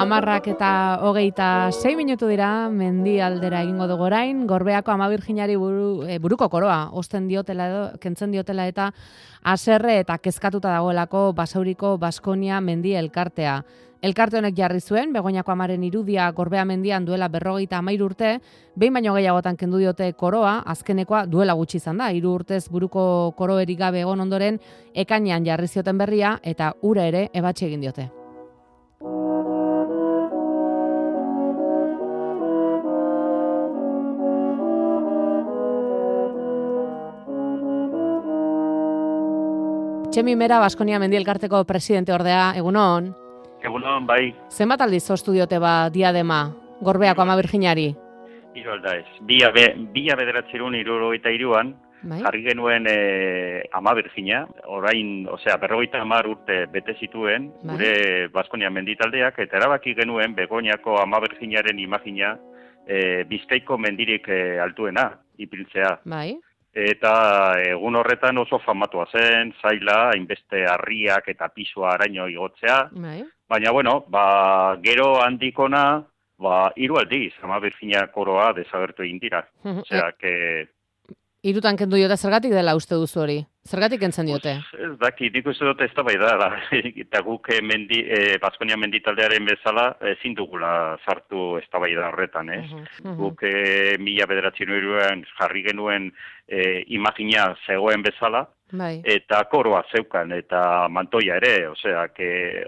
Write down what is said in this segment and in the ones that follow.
10:26 dira, mendialdera egingo dugu orain, Gorbeako Ama Birjinari buruko koroa, osten diotela edo, kentzen diotela eta haserre eta kezkatuta dagoelako Basauriko Baskonia mendi elkartea. Elkarte honek jarri zuen, Begoñako amaren irudia Gorbea mendian duela 53 urte, behin baino gehiagotan kendu diote koroa, azkenekoa duela gutxi izan da, 3 urtez buruko koroerik gabe egon ondoren, ekainean jarri zioten berria eta ura ere ebatzi egin diote. Txemi Mera, Baskonia mendi elkarteko presidente ordea, egunon? Egunon, bai. Zenbat aldiz ostu diote diadema Gorbeako Ama Birjinari? Hiru alda ez. 1973an jarri genuen Ama Birjina, orain, osea, 50 urte bete zituen, gure Baskonia menditaldeak, eta erabaki genuen Begoñako Ama Birjinaren imagina Bizkaiko mendirik altuena, ipiltzea. Bai. Eta egun horretan oso famatua zen, zaila, hainbeste harriak eta pisua araño igotzea. Bai. Baina, bueno, gero handikona, 3 aldiz, Ama Birjina koroa desagertu egin dira. Osea, que... 3 kendu diote, zergatik dela uste duzu hori? Zergatik kentzen diote? Ez daki, nik uste dut ez da bai da. Eta guk Baskonia menditaldearen bezala ezin dugula sartu ez da bai da horretan, ez? Guk 1973an jarri genuen imagina zegoen bezala, eta koroa zeukan, eta mantoia ere, osea,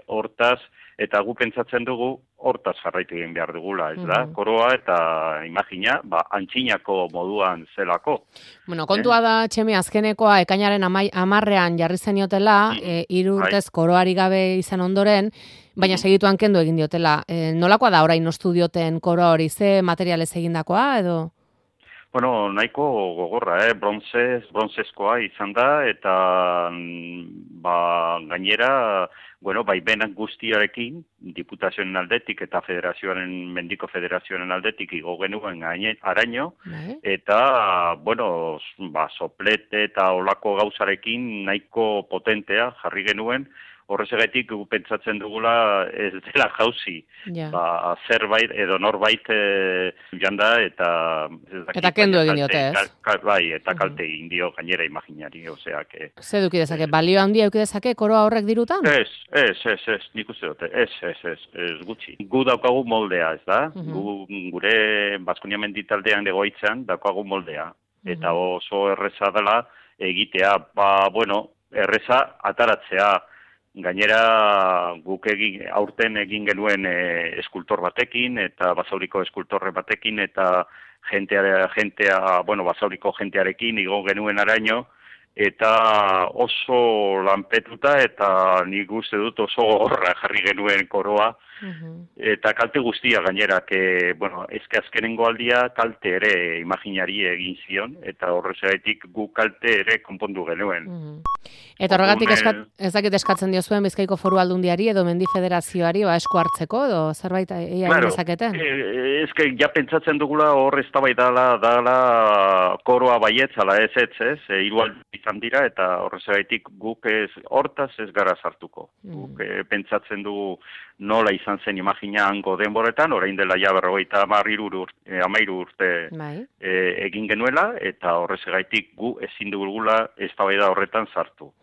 hortaz, eta gu pentsatzen dugu, hortaz jarraitu egin behar dugula, ez da? Koroa eta imagina, antzinako moduan zelako. Bueno, kontua da, Txemi, azkenekoa, ekainaren 10ean jarri zeniotela, 3 urtez koroari gabe izan ondoren, baina segituan kendu egin diotela. Nolakoa da orain ostu dioten koroa hori, ze materialez egindakoa, edo? Bueno, nahiko gogorra, bronzezkoa izan da, eta gainera, baimenak guztiarekin, diputazioen aldetik eta mendiko federazioaren aldetik igo genuen araño, eta, soplete eta olako gauzarekin nahiko potentea jarri genuen, horrezagatik pentsatzen dugula ez dela jauzi. Zerbait edo norbait janda eta... Eta kendu egin diote, ez? Bai, eta kalte egin dio gainera imaginari, osea que... Ze eduki dezake, balio handia eduki dezake koroa horrek dirutan? Ez, nik uste dute, ez gutxi. Gu daukagu moldea, ez da? Gure Baskonia menditaldean egoitzan daukagu moldea. Eta oso erreza dela egitea, erreza ataratzea. Gainera guk aurten egin genuen eskultor batekin eta Basauriko eskultorre batekin eta Basauriko jentearekin igo genuen araño eta oso lanpetuta eta nik uste dut oso horra jarri genuen koroa eta kalte guztia gainera, ezke azkenengo aldia kalte ere imaginari egin zion eta horrezagatik gu kalte ere konpondu genuen. Eta horregatik ez dakit eskatzen diozuen Bizkaiko Foru Aldundiari edo Mendi Federazioari esku hartzeko edo zerbait egin dezaketen? Ezke ja pentsatzen dugula hor ez da bai dala koroa baietzala ez, igual izan dira eta horrezagatik guk hortaz ez gara sartuko. Guk pentsatzen dugu nola izan zen imagina hango denboretan, orain dela ja 13 urte egin genuela, eta horrezagaitik gu ezin dugula eztabaida horretan sartu.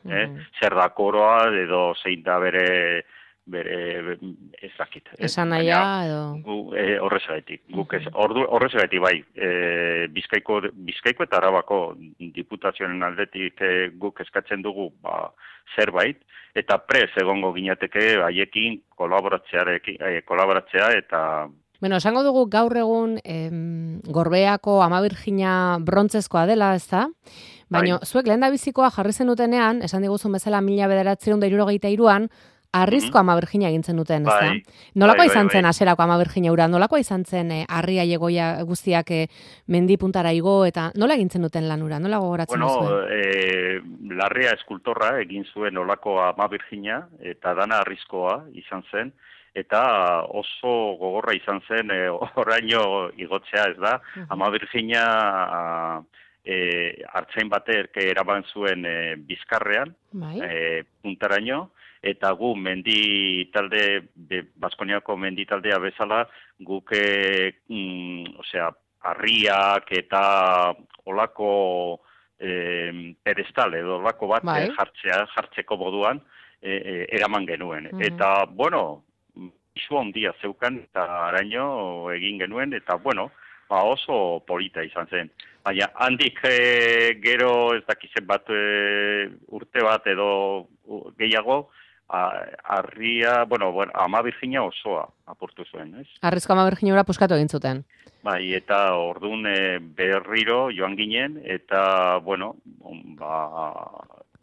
Zer da koroa edo zein da bere ez dakit. Esan nahia edo... Horrezagaitik. Horrezagaitik bai, Bizkaiko eta Arabako diputazioen aldetik guk eskatzen dugu zerbait, eta prez egongo ginateke haiekin kolaboratzea eta... Bueno, esango dugu gaur egun Gorbeako Ama Birjina brontzezkoa dela, ez da? Baina zuek lehendabizikoa jarri zenutenean, esan diguzun bezala 1973an, harrizko Ama Birjina egintzen duten, ez da? Nolakoa izan zen hasierako Ama Birjina ura? Nolakoa izan zen harria jegoia guztiak mendi puntara igo eta nola egintzen duten lan ura? Nola gogoratzen duzuen? Larrea eskultorra egin zuen olako Ama Birjina eta dana harrizkoa izan zen. Eta oso gogorra izan zen oraino igotzea, ez da? Ama Birjina hartzain batek eraban zuen Bizkarrean, puntaraino, eta gu mendi talde, Baskoniako mendi taldea bezala, guk, harriak eta olako pedestal edo olako bat jartzeko moduan eraman genuen. Eta, bueno, isu handia zeukan eta araño egin genuen, eta, bueno, oso polita izan zen. Baina, handik gero ez dakizen bat urte bat edo gehiago, harria, Ama Birjina osoa apurtu zuen, ez? Harrizko Ama Birjinura puskatu egin zuten. Bai, eta orduan berriro joan ginen, eta,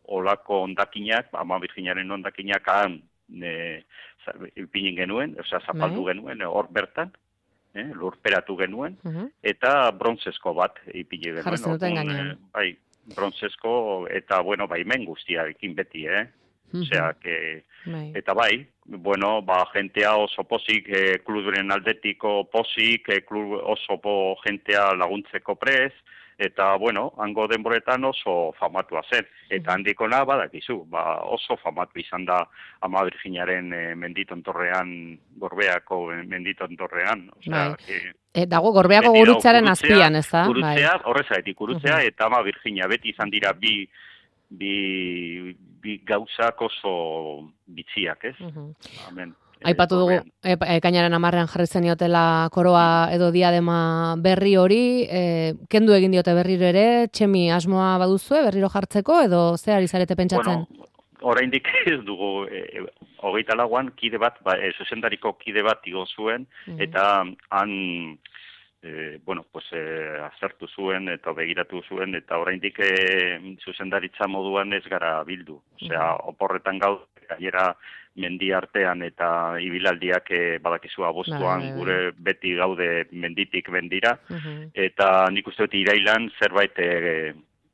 olako ondakinak, Ama Birjinaren ondakinak han ipinin genuen, zapaldu genuen, hor bertan, lurperatu genuen, eta brontzezko bat ipini genuen. Jarri zenuten gainean. Bai, brontzezko, eta, baimen guztiarekin beti, eta jentea oso pozik, kluduren aldetiko pozik, oso jentea laguntzeko prez, eta, hango denboretan oso famatua zen. Eta handikona badakizu, oso famatu izan da Ama Birjinaren menditontorrean, Gorbeako menditontorrean. Dago Gorbeako gurutzaren azpian, ez da? Gurutzea, horrezaitik gurutzea, eta Ama Birjina beti izan dira bi gauzak oso bitziak, ez? Amen. Aipatu dugu, ekainaren 10ean jarri zeniotela koroa edo diadema berri hori, kendu egin diote berriro ere, Txemi asmoa baduzue berriro jartzeko, edo ze ari zarete pentsatzen? Oraindik ez dugu, 24an kide bat, zuzendariko kide bat igo zuen, eta han, azertu zuen eta begiratu zuen, eta oraindik zuzendaritza moduan ez gara bildu. Oporretan gaude, gainera mendi artean eta ibilaldiak badakizu abuztuan gure beti gaude menditik mendira, eta nik uste dut irailan zerbait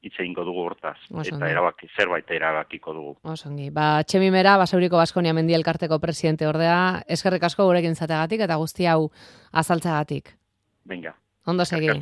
hitz egingo dugu hortaz, eta zerbait erabakiko dugu. Osongi, Txemi Mera, Basauriko Baskonia Mendi Elkarteko presidente ordea, eskerrik asko gurekin zategatik eta guzti hau azaltzagatik. Venga. Ondo segi.